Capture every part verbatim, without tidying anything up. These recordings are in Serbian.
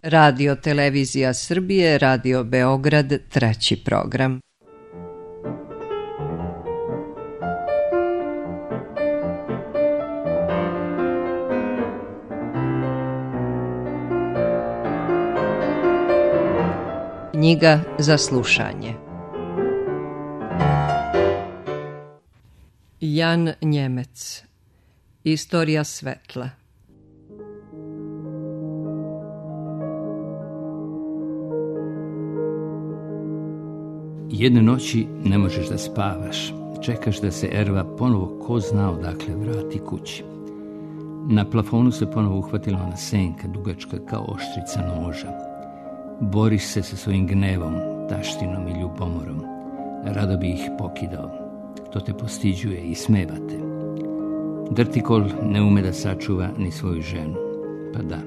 Radio Televizija Srbije, Radio Beograd, treći program. Knjiga za slušanje. Jan Njemec. Istorija svetla. Jedne noći ne možeš da spavaš. Čekaš da se Erva ponovo ko zna odakle vrati kući. Na plafonu se ponovo uhvatila ona senka, dugačka kao oštrica noža. Boriš se sa svojim gnevom, taštinom i ljubomorom. Rado bi ih pokidao. To te postiđuje i smeva te. Drtikol ne ume da sačuva ni svoju ženu. Pa da,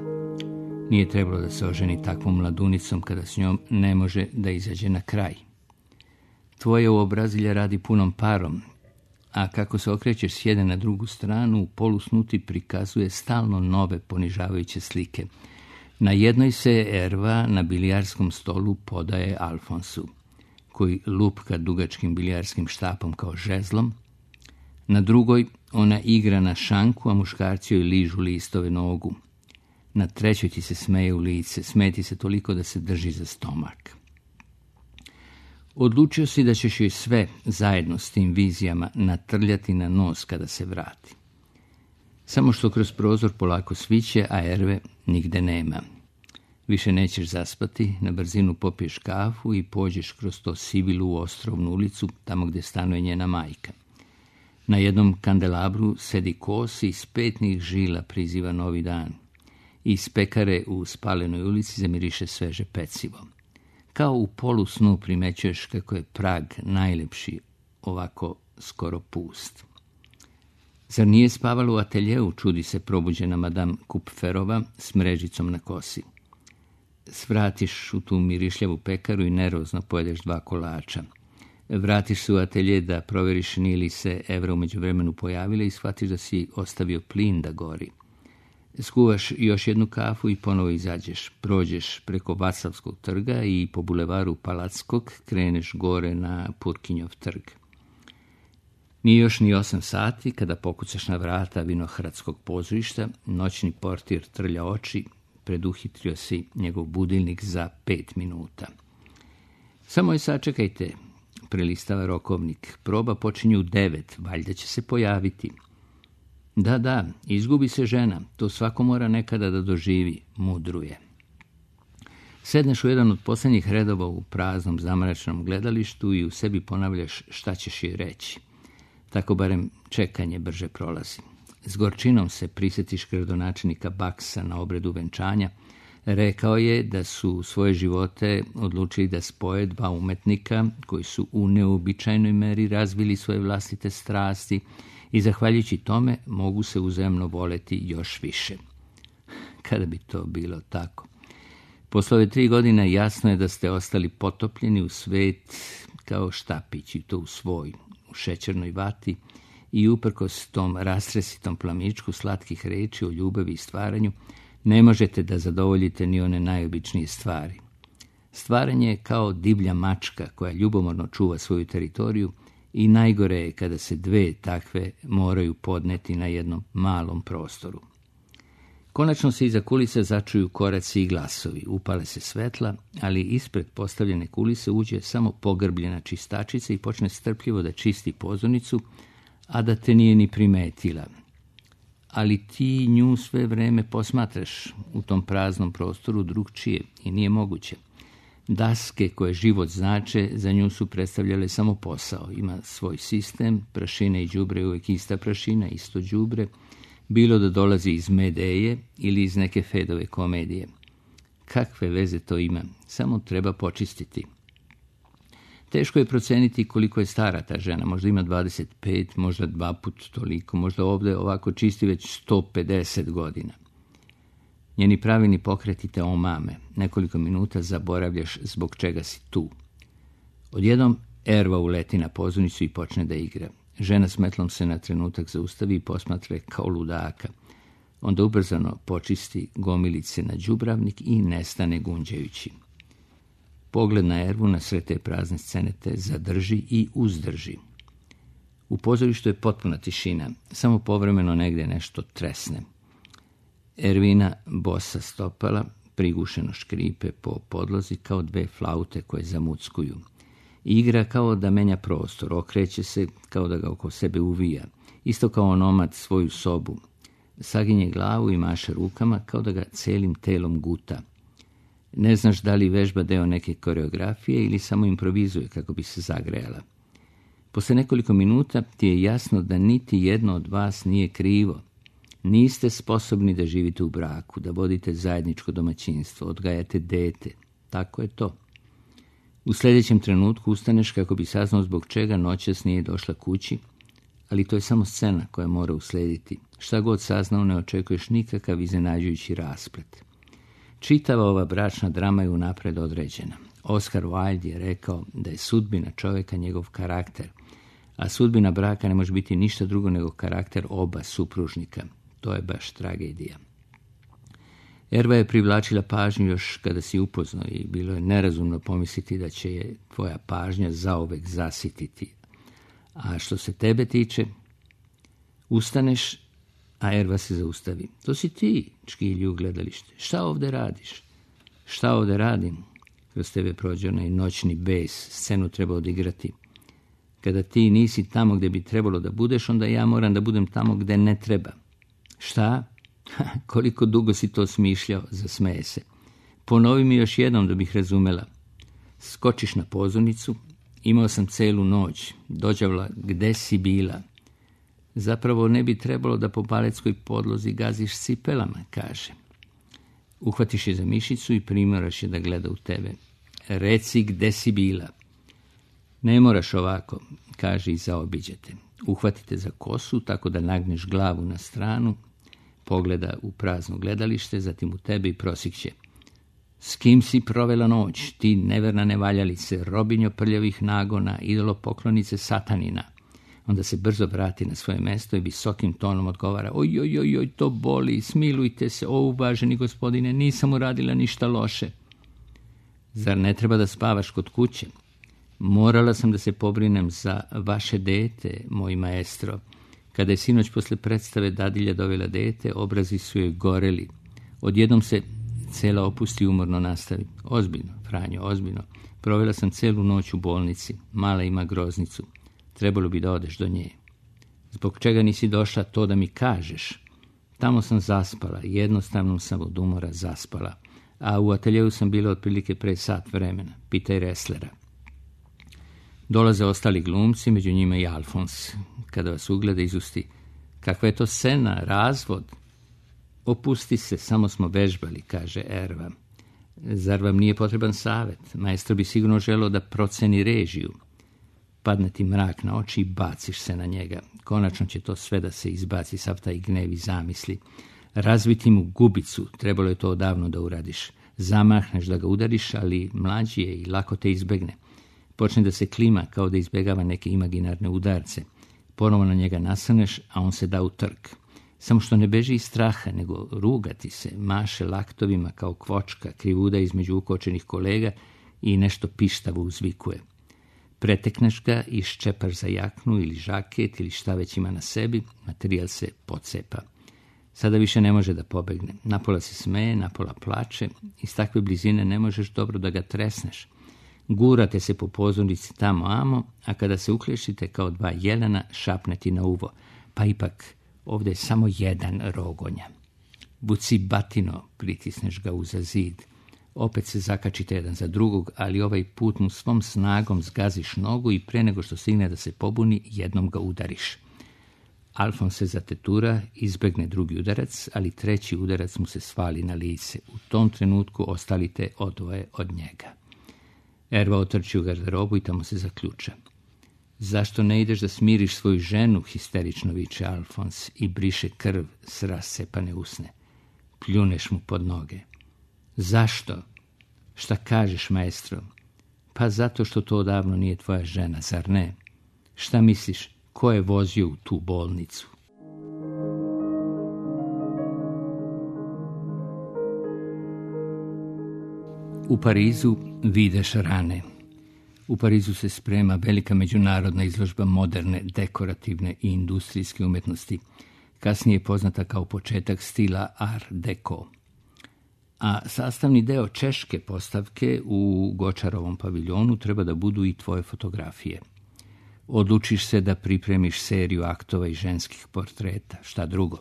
nije trebalo da se oženi takvom mladunicom kada s njom ne može da izađe na kraj. Tvoje uobrazilje radi punom parom, a kako se okrećeš s jedne na drugu stranu, u polusnu ti prikazuje stalno nove ponižavajuće slike. Na jednoj se Erva na bilijarskom stolu podaje Alfonsu, koji lupka dugačkim bilijarskim štapom kao žezlom. Na drugoj ona igra na šanku, a muškarci joj ližu listove nogu. Na trećoj ti se smeje u lice, smeti se toliko da se drži za stomak. Odlučio si da ćeš joj sve zajedno s tim vizijama natrljati na nos kada se vrati. Samo što kroz prozor polako sviće, a Erve nigde nema. Više nećeš zaspati, na brzinu popiješ kafu i pođeš kroz to sivilu ostrovnu ulicu, tamo gdje stanuje njena majka. Na jednom kandelabru sedi kos i iz petnih žila priziva novi dan. Iz pekare u spalenoj ulici zamiriše sveže pecivo. Kao u polusnu primećuješ kako je prag najlepši, ovako skoro pust. Zar nije spavala u ateljeu, čudi se probuđena madame Kupferova s mrežicom na kosi. Svratiš u tu mirišljavu pekaru i nervozno pojedeš dva kolača. Vratiš se u atelje da proveriš nije li se Evra u međuvremenu pojavila i shvatiš da si ostavio plin da gori. Skuvaš još jednu kafu i ponovo izađeš. Prođeš preko Vaclavskog trga i po bulevaru Palackog kreneš gore na Purkinjov trg. Nije još ni osam sati kada pokucaš na vrata Vinohradskog pozorišta, noćni portir trlja oči, preduhitrio si njegov budilnik za pet minuta. Samo je sačekajte, prelistava rokovnik. Proba počinje u devet, valjda će se pojaviti. Da, da, izgubi se žena, to svako mora nekada da doživi, mudruje. Sedneš u jedan od posljednjih redova u praznom zamračnom gledalištu i u sebi ponavljaš šta ćeš joj reći. Tako barem čekanje brže prolazi. S gorčinom se prisjetiš gradonačelnika Baksa na obredu venčanja. Rekao je da su svoje živote odlučili da spoje dva umetnika koji su u neobičajnoj meri razvili svoje vlastite strasti i zahvaljujući tome mogu se uzajamno voleti još više. Kada bi to bilo tako? Posle ove tri godine jasno je da ste ostali potopljeni u svet kao štapić i to u svoj, u šećernoj vati i uprkos tom rastresitom plamičku slatkih reči o ljubavi i stvaranju ne možete da zadovoljite ni one najobičnije stvari. Stvaranje je kao divlja mačka koja ljubomorno čuva svoju teritoriju i najgore je kada se dve takve moraju podneti na jednom malom prostoru. Konačno se iza kulise začuju koraci i glasovi, upale se svetla, ali ispred postavljene kulise uđe samo pogrbljena čistačica i počne strpljivo da čisti pozornicu, a da te nije ni primetila. Ali ti nju sve vreme posmatraš u tom praznom prostoru drugčije i nije moguće. Daske koje život znače za nju su predstavljale samo posao. Ima svoj sistem, prašina i đubre je uvijek ista prašina, isto đubre, bilo da dolazi iz Medeje ili iz neke Fedove komedije. Kakve veze to ima, samo treba počistiti. Teško je proceniti koliko je stara ta žena, možda ima dvadeset pet, možda dva put toliko, možda ovdje ovako čisti već sto pedeset godina. Njeni pravilni pokreti te omame, nekoliko minuta zaboravljaš zbog čega si tu. Odjednom Erva uleti na pozornicu i počne da igra. Žena s metlom se na trenutak zaustavi i posmatra kao ludaka. Onda ubrzano počisti gomilice na đubravnik i nestane gunđajući. Pogled na Ervu na sve te prazne scene te zadrži i uzdrži. U pozorištu je potpuna tišina, samo povremeno negdje nešto tresne. Ervina bosa stopala prigušeno škripe po podlozi kao dve flaute koje zamuckuju. Igra kao da menja prostor, okreće se kao da ga oko sebe uvija, isto kao onomad svoju sobu. Saginje glavu i maše rukama kao da ga celim telom guta. Ne znaš da li vežba deo neke koreografije ili samo improvizuje kako bi se zagrejala. Posle nekoliko minuta ti je jasno da niti jedno od vas nije krivo. Niste sposobni da živite u braku, da vodite zajedničko domaćinstvo, odgajate dete. Tako je to. U sljedećem trenutku ustaneš kako bi saznao zbog čega noćas nije došla kući, ali to je samo scena koja mora uslediti. Šta god saznao, ne očekuješ nikakav iznenađujući rasplet. Čitava ova bračna drama je unapred određena. Oscar Wilde je rekao da je sudbina čovjeka njegov karakter, a sudbina braka ne može biti ništa drugo nego karakter oba supružnika. To je baš tragedija. Erva je privlačila pažnju još kada si upoznao i bilo je nerazumno pomisliti da će je tvoja pažnja zauvek zasititi. A što se tebe tiče, ustaneš, a Erva se zaustavi. To si ti, čkilju u gledalište. Šta ovdje radiš? Šta ovdje radim? Kroz tebe prođe onaj noćni bes, scenu treba odigrati. Kada ti nisi tamo gdje bi trebalo da budeš, onda ja moram da budem tamo gdje ne treba. Šta? Koliko dugo si to smišljao, zasmeje se. Ponovi mi još jednom da bih razumela. Skočiš na pozornicu, imao sam celu noć, dođavla gde si bila. Zapravo ne bi trebalo da po baletskoj podlozi gaziš cipelama, kaže. Uhvatiš je za mišicu i primoraš je da gleda u tebe. Reci gde si bila. Ne moraš ovako, kaže i zaobiđete. Uhvatite za kosu tako da nagneš glavu na stranu, pogleda u prazno gledalište, zatim u tebe i prosikće. S kim si provela noć, ti neverna nevaljalice, robinjo prljavih nagona, idolo poklonice satanina. Onda se brzo vrati na svoje mesto i visokim tonom odgovara: oj, oj, oj, oj, to boli, smilujte se, o uvaženi gospodine, nisam uradila ništa loše. Zar ne treba da spavaš kod kuće? Morala sam da se pobrinem za vaše dete, moj maestro. Kada je sinoć posle predstave dadilja dovela dete, obrazi su joj goreli. Odjednom se cela opusti umorno nastavi. Ozbiljno, Franjo, ozbiljno. Provela sam celu noć u bolnici. Mala ima groznicu. Trebalo bi da odeš do nje. Zbog čega nisi došla, to da mi kažeš? Tamo sam zaspala, jednostavno sam od umora zaspala. A u ateljevu sam bila otprilike pre sat vremena. Pitaj Reslera. Dolaze ostali glumci, među njima i Alfons. Kada vas ugleda, izusti: kakva je to scena, razvod? Opusti se, samo smo vežbali, kaže Erva. Zar vam nije potreban savet? Maestro bi sigurno želeo da proceni režiju. Padne ti mrak na oči i baciš se na njega. Konačno će to sve da se izbaci, sav taj gnev i zamisli. Razviti mu gubicu, trebalo je to odavno da uradiš. Zamahneš da ga udariš, ali mlađi je i lako te izbegne. Počne da se klima kao da izbegava neke imaginarne udarce. Ponovo na njega nasaneš, a on se da u trk. Samo što ne beži iz straha, nego rugati se, maše laktovima kao kvočka, krivuda između ukočenih kolega i nešto pištavo uzvikuje. Pretekneš ga i ščepaš za jaknu ili žaket ili šta već ima na sebi, materijal se pocepa. Sada više ne može da pobegne. Napola se smeje, napola plače. Iz takve blizine ne možeš dobro da ga tresneš. Gurate se po pozornici tamo amo, a kada se uklešite kao dva jelena, šapne ti na uvo. Pa ipak, ovdje je samo jedan rogonja. Buci batino, pritisneš ga uza zid. Opet se zakačite jedan za drugog, ali ovaj put mu svom snagom zgaziš nogu i pre nego što stigne da se pobuni, jednom ga udariš. Alfons se zatetura, izbegne drugi udarac, ali treći udarac mu se svali na lice. U tom trenutku ostalite odvoje od njega. Erva otrči u garderobu i tamo se zaključa. Zašto ne ideš da smiriš svoju ženu, histerično viče Alfons i briše krv s rascepane usne. Pljuneš mu pod noge. Zašto? Šta kažeš, maestro? Pa zato što to odavno nije tvoja žena, zar ne? Šta misliš, ko je vozio u tu bolnicu? U Parizu videš rane. U Parizu se sprema velika međunarodna izložba moderne, dekorativne i industrijske umjetnosti, kasnije poznata kao početak stila Art Deco. A sastavni deo češke postavke u Gočarovom paviljonu treba da budu i tvoje fotografije. Odlučiš se da pripremiš seriju aktova i ženskih portreta, šta drugo.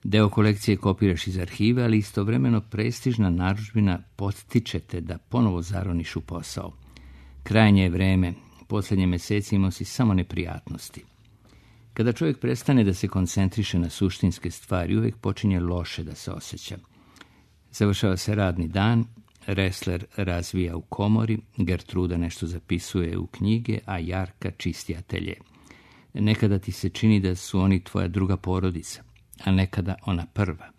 Deo kolekcije kopiraš iz arhive, ali istovremeno prestižna narudžbina podstiče te da ponovo zaroniš u posao. Krajnje je vreme, posljednje meseci imao si samo neprijatnosti. Kada čovjek prestane da se koncentriše na suštinske stvari, uvijek počinje loše da se osjeća. Završava se radni dan, Ressler razvija u komori, Gertruda nešto zapisuje u knjige, a Jarka čisti atelje. Nekada ti se čini da su oni tvoja druga porodica, a nekada ona prva.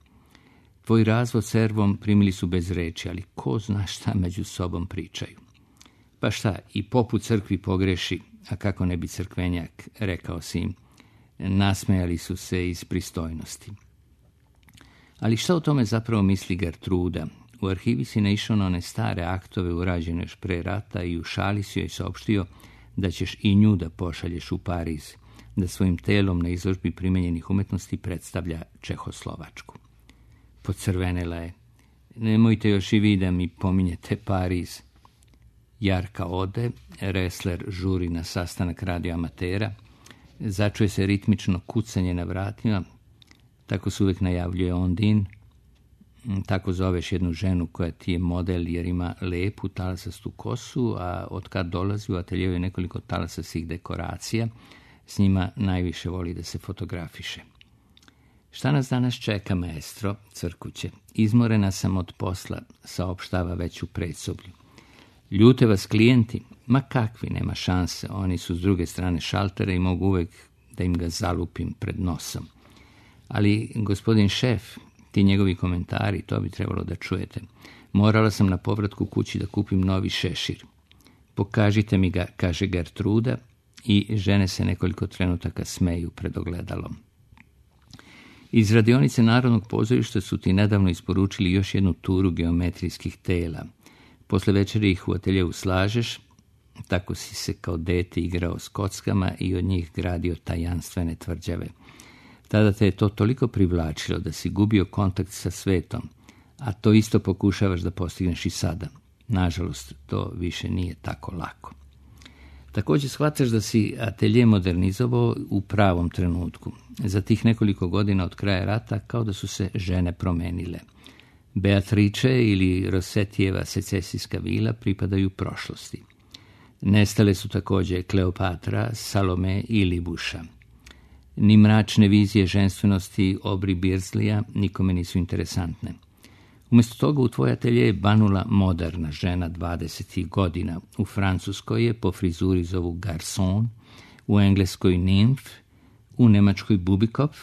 Tvoj razvod s Ervom primili su bez reči, ali ko zna šta među sobom pričaju. Pa šta, i pop u crkvi pogreši, a kako ne bi crkvenjak, rekao si im. Nasmejali su se iz pristojnosti. Ali šta o tome zapravo misli Gertruda? U arhivi si naišao na one stare aktove urađene još pre rata i u šali si joj saopštio da ćeš i nju da pošalješ u Pariz, da svojim telom na izložbi primenjenih umetnosti predstavlja Čehoslovačku. Pocrvenela je. Nemojte još i vi da mi pominjete Pariz. Jarka ode, Ressler žuri na sastanak radioamatera, začuje se ritmično kucanje na vratima, tako se uvijek najavljuje Ondine. Tako zoveš jednu ženu koja ti je model jer ima lepu talasastu kosu, a od kad dolazi u ateljevu je nekoliko talasastih dekoracija, s njima najviše voli da se fotografiše. Šta nas danas čeka, maestro, crkuće? Izmorena sam od posla, saopštava već u predsoblju. Ljute vas klijenti? Ma kakvi, nema šanse, oni su s druge strane šaltera i mogu uvijek da im ga zalupim pred nosom. Ali, gospodin šef, ti njegovi komentari, to bi trebalo da čujete. Morala sam na povratku kući da kupim novi šešir. Pokažite mi ga, kaže Gertruda, i žene se nekoliko trenutaka smeju pred ogledalom. Iz radionice Narodnog pozorišta su ti nedavno isporučili još jednu turu geometrijskih tela. Posle večeri ih u ateljevu slažeš, tako si se kao dete igrao s kockama i od njih gradio tajanstvene tvrđave. Tada te je to toliko privlačilo da si gubio kontakt sa svetom, a to isto pokušavaš da postigneš i sada. Nažalost, to više nije tako lako. Također shvataš da si atelje modernizovao u pravom trenutku. Za tih nekoliko godina od kraja rata kao da su se žene promenile. Beatrice ili Rosetijeva secesijska vila pripadaju prošlosti. Nestale su također Kleopatra, Salome i Libuša. Ni mračne vizije ženstvenosti Obri Birzlija nikome nisu interesantne. Umjesto toga u tvoj atelje je banula moderna žena dvadesetih godina. U Francuskoj je po frizuri zovu garçon, u Engleskoj nymph, u Nemačkoj Bubikopf,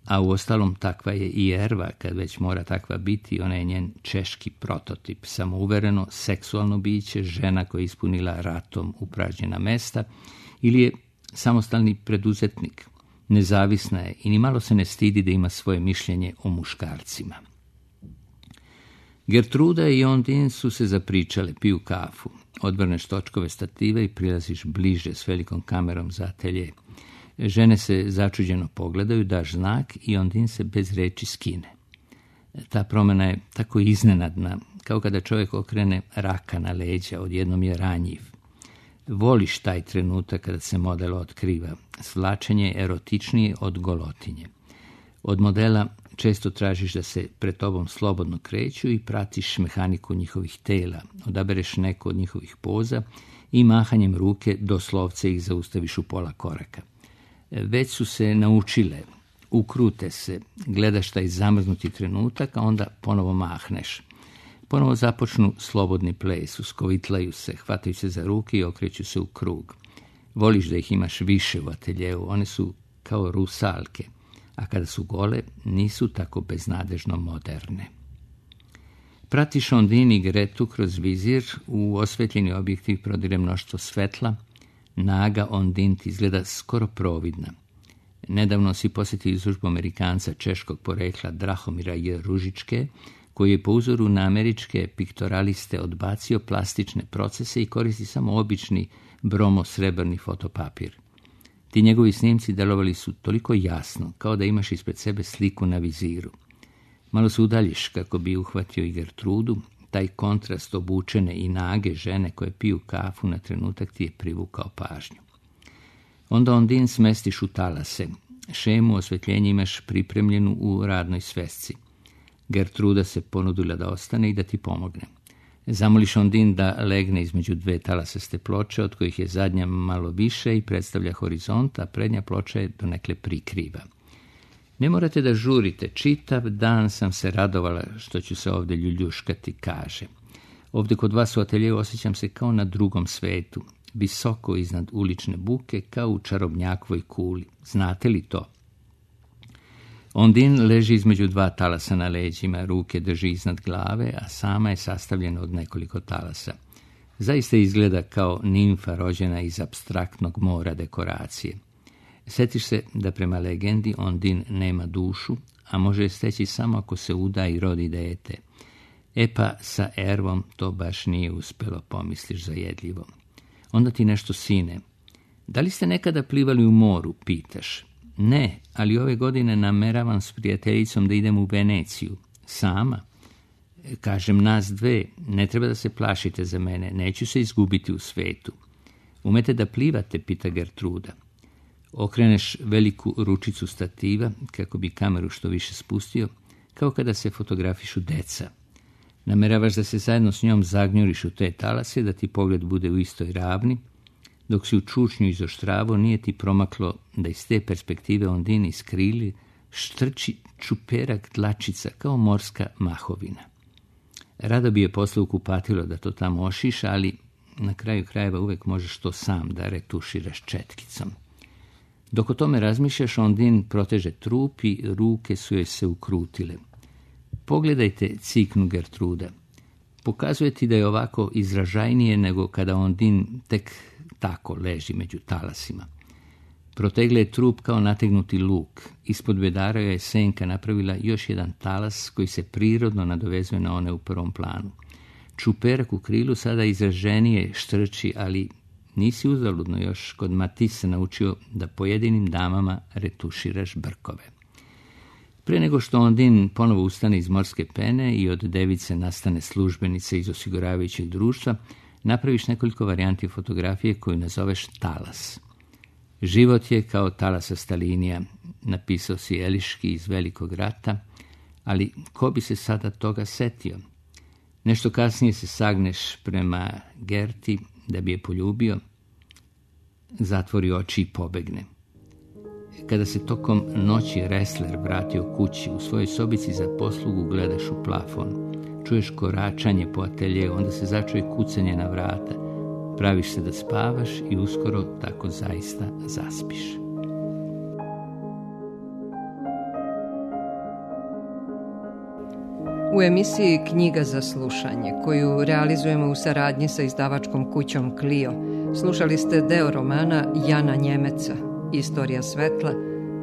a u ostalom takva je i Erva, kad već mora takva biti, ona je njen češki prototip, samouvereno, seksualno biće, žena koja je ispunila ratom upražnjena mesta, ili je samostalni preduzetnik. Nezavisna je i ni malo se ne stidi da ima svoje mišljenje o muškarcima. Gertruda i Ondine su se zapričale, piju kafu. Odvrneš točkove stative i prilaziš bliže s velikom kamerom za atelje. Žene se začuđeno pogledaju, daš znak i Ondine se bez reči skine. Ta promjena je tako iznenadna, kao kada čovjek okrene raka na leđa, odjednom je ranjiv. Voliš taj trenutak kada se model otkriva. Svlačenje je erotičnije od golotinje. Od modela često tražiš da se pred tobom slobodno kreću i pratiš mehaniku njihovih tela. Odabereš neko od njihovih poza i mahanjem ruke doslovce ih zaustaviš u pola koraka. Već su se naučile, ukrute se, gledaš taj zamrznuti trenutak, a onda ponovo mahneš. Ponovo započnu slobodni ples, uskovitlaju se, hvataju se za ruke i okreću se u krug. Voliš da ih imaš više u ateljevu, one su kao rusalke, a kada su gole, nisu tako beznadežno moderne. Pratiš Ondine i Gretu kroz vizir, u osvetljeni objektiv prodire mnoštvo svetla, naga Ondine ti izgleda skoro providna. Nedavno si posjetio izložbu Amerikanca češkog porekla Drahomira J. Ružičke, koji je po uzoru na američke piktoraliste odbacio plastične procese i koristi samo obični bromo-srebrni fotopapir. Ti njegovi snimci delovali su toliko jasno, kao da imaš ispred sebe sliku na viziru. Malo se udaljiš kako bi uhvatio i Gertrudu, taj kontrast obučene i nage žene koje piju kafu na trenutak ti je privukao pažnju. Onda Ondine smestiš u talase. Šemu osvetljenja imaš pripremljenu u radnoj svesci. Gertruda se ponudila da ostane i da ti pomogne. Zamoliš Ondine da legne između dve talasaste ploče, od kojih je zadnja malo više i predstavlja horizont, a prednja ploča je donekle prikriva. Ne morate da žurite, čitav dan sam se radovala što ću se ovdje ljuljuškati, kaže. Ovdje kod vas u ateljeju osjećam se kao na drugom svetu, visoko iznad ulične buke, kao u čarobnjakovoj kuli. Znate li to? Ondine leži između dva talasa na leđima, ruke drži iznad glave, a sama je sastavljena od nekoliko talasa. Zaista izgleda kao nimfa rođena iz apstraktnog mora dekoracije. Sjetiš se da prema legendi Ondine nema dušu, a može je steći samo ako se uda i rodi dete. E pa sa Ervom to baš nije uspelo, pomisliš zajedljivo. Onda ti nešto sine. Da li ste nekada plivali u moru, pitaš? Ne, ali ove godine nameravam s prijateljicom da idem u Veneciju. Sama? Kažem nas dve, ne treba da se plašite za mene, neću se izgubiti u svetu. Umete da plivate, pita Gertruda. Okreneš veliku ručicu stativa, kako bi kameru što više spustio, kao kada se fotografišu deca. Nameravaš da se zajedno s njom zagnjuriš u te talase, da ti pogled bude u istoj ravni. Dok si u čučnju izoštravo, nije ti promaklo da iz te perspektive Ondine iz krili štrči čuperak dlačica kao morska mahovina. Rado bi je poslao u kupatilo da to tamo ošiša, ali na kraju krajeva uvek možeš to sam da retuširaš četkicom. Dok o tome razmišljaš, Ondine proteže trup i ruke su joj se ukrutile. Pogledajte, ciknu Gertruda. Pokazuje ti da je ovako izražajnije nego kada Ondine tek tako leži među talasima. Protegle je trup kao nategnuti luk. Ispod bedara je senka napravila još jedan talas koji se prirodno nadovezuje na one u prvom planu. Čuperak u krilu sada izraženije štrči, ali nisi uzaludno još kod Matisse naučio da pojedinim damama retuširaš brkove. Pre nego što Ondine ponovo ustane iz morske pene i od device nastane službenica iz osiguravajućeg društva, napraviš nekoliko varijanti fotografije koju nazoveš talas. Život je kao talasasta linija, napisao si Eliški iz Velikog rata, ali ko bi se sada toga setio? Nešto kasnije se sagneš prema Gerti da bi je poljubio, zatvori oči i pobegne. Kada se tokom noći Ressler vratio kući, u svojoj sobici za poslugu gledaš u plafon. Čuješ koračanje po ateljeju, onda se začuje kucanje na vrata. Praviš se da spavaš i uskoro tako zaista zaspiš. U emisiji Knjiga za slušanje, koju realizujemo u saradnji sa izdavačkom kućom Clio, slušali ste deo romana Jana Njemeca, Istorija svetla,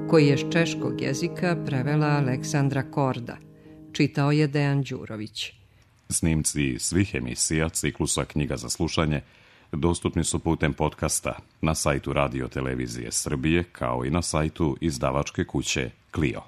koji je s češkog jezika prevela Aleksandra Korda. Čitao je Dejan Đurović. Snimci svih emisija ciklusa Knjiga za slušanje dostupni su putem podcasta na sajtu Radio Televizije Srbije, kao i na sajtu izdavačke kuće Clio.